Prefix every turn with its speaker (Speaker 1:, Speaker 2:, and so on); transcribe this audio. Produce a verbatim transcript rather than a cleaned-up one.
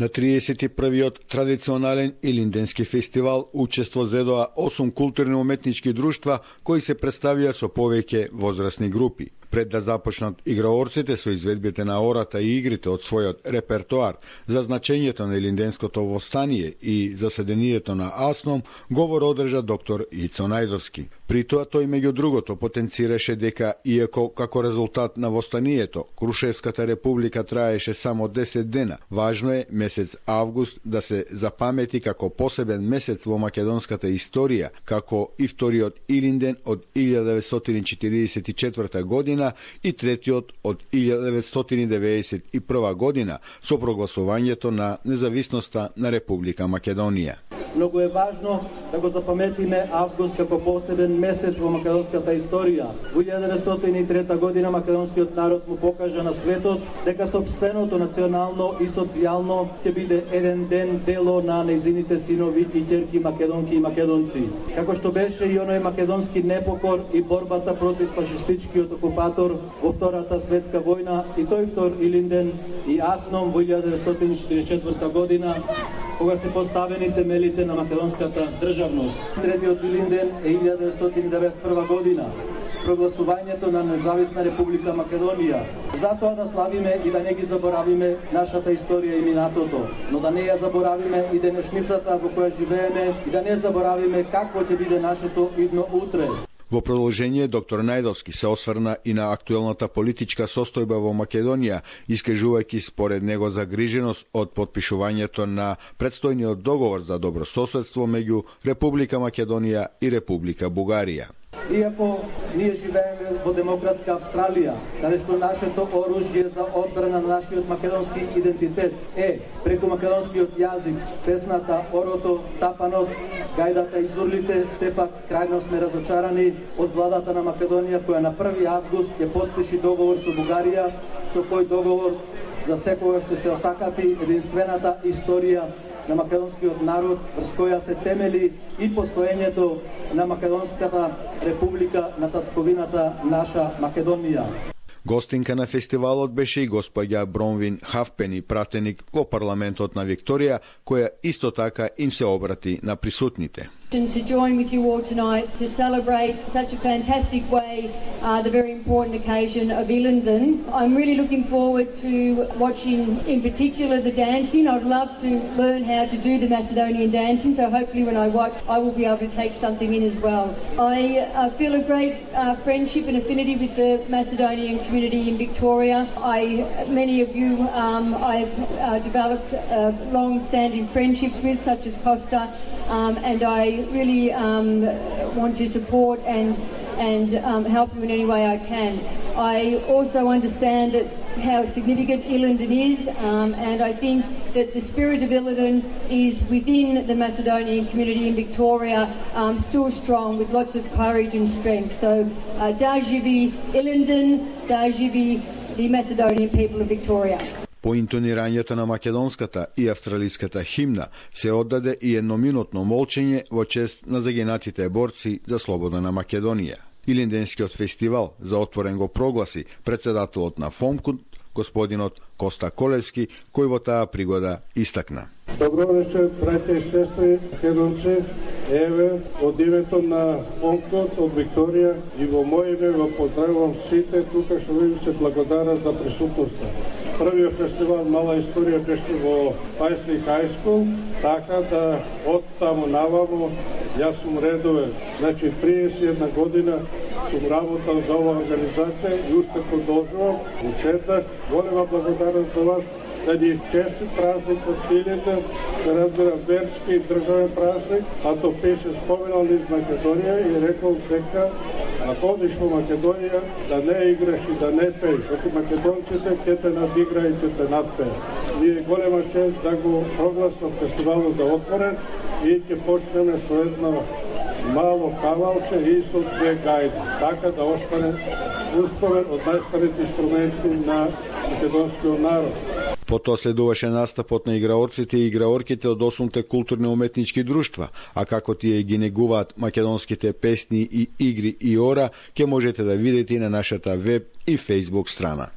Speaker 1: На триесет и првиот традиционален Илинденски фестивал учество зедоа осум културни уметнички друштва кои се представија со повеќе возрастни групи. Пред да започнат играорците со изведбите на ората и игрите од својот репертоар за значењето на Илинденското востание и заседанието на АСНОМ, говор одржа доктор Ицо Најдовски. При тоа тој меѓу другото потенцираше дека иако како резултат на востанието Крушевската република траеше само десет дена, важно е месец август да се запамети како посебен месец во македонската историја, како и вториот Илинден од илјада деветстотини четиридесет и четврта година и третиот од илјада деветстотини деветдесет и прва година со прогласувањето на независноста на Република Македонија.
Speaker 2: Многу е важно да го запаметиме август како посебен месец во македонската историја. Во илјада деветстотини и трета година македонскиот народ му покажа на светот дека сопственото национално и социјално ќе биде еден ден дело на нејзините синови и ќерки македонки и македонци. Како што беше и оној македонски непокор и борбата против фашистичкиот окупатор во Втората светска војна и тој втор Илинден и АСНОМ во илјада деветстотини четиридесет и четврта година, кога се поставени темелите на македонската државност. Третиот Илинден е илјада деветстотини деветдесет и прва година, прогласувањето на независна Република Македонија. Затоа да славиме и да не ги заборавиме нашата историја и минатото, но да не ја заборавиме и денешницата во која живееме и да не заборавиме какво ќе биде нашето идно утре.
Speaker 1: Во продолжение, доктор Најдовски се осврна и на актуелната политичка состојба во Македонија, искажувајќи според него загриженост од потпишувањето на предстојниот договор за добрососедство меѓу Република Македонија и Република Бугарија.
Speaker 2: Иако ние живееме во демократска Австралија, каде што нашето оружје за одбрана на нашиот македонски идентитет е преку македонскиот јазик, песната, орото, тапанот, гајдата и зурлите, сепак крајно сме разочарани од владата на Македонија која на први август ќе потпиши договор со Бугарија, со кој договор за секогаш ќе се осакати единствената историја на македонскиот народ, врз која се темели и постоењето на Македонската република на татковината наша Македонија.
Speaker 1: Гостинка на фестивалот беше и господја Бронвин Хавпени, пратеник во парламентот на Викторија, која исто така им се обрати на присутните.
Speaker 3: To join with you all tonight to celebrate such a fantastic way uh, the very important occasion of Ilinden. I'm really looking forward to watching in particular the dancing. I'd love to learn how to do the Macedonian dancing, so hopefully when I watch I will be able to take something in as well. I uh, feel a great uh, friendship and affinity with the Macedonian community in Victoria. I, many of you um, I've uh, developed uh, long-standing friendships with, such as Costa, um, and I really um, want to support and and um, help you in any way I can. I also understand that how significant Ilinden is, um, and I think that the spirit of Ilinden is within the Macedonian community in Victoria, um, still strong with lots of courage and strength. So, uh, da živi Ilinden, da živi the Macedonian people of Victoria.
Speaker 1: По интонирањето на македонската и австралиската химна се оддаде и едноминутно молчење во чест на загинатите борци за слобода на Македонија. Илинденскиот фестивал за отворен го прогласи председателот на ФОМКУН, господинот Коста Колевски, кој во таа пригода истакна.
Speaker 4: Добро вечер, браќа и сестри, македонци. Еве, од името на ФОМКУН од Викторија и во моје име во поздравувам сите тука што ви се благодарат за присутноста. Првиот фестивал Мала историја беше во Пајсли High School, така да од таму наваму јас сум редовен. Значи, триесет и една година сум работал за оваа организација и уште продолжувам. Ушеднаш, голема благодарност за вас, да ни честит празник од Илинден, да разбирам верски и државен празник, а то беше споменал низ Македонија и рекол дека ако одиш во Македонија, да не играш и да не пееш, защото македонците ќе те надигра и ќе те надпеат. Ние голема чест да го прогласам фестивалот за отворен и ќе почнеме со едно мало кавалче и со две гајди, така да остане успомен од најстарите инструменти на македонскиот народ.
Speaker 1: Потоа следуваше настапот на играорците и играорките од осумте културни уметнички друштва, а како тие ги негуваат македонските песни и игри и ора, ќе можете да видите и на нашата веб и фејсбук страна.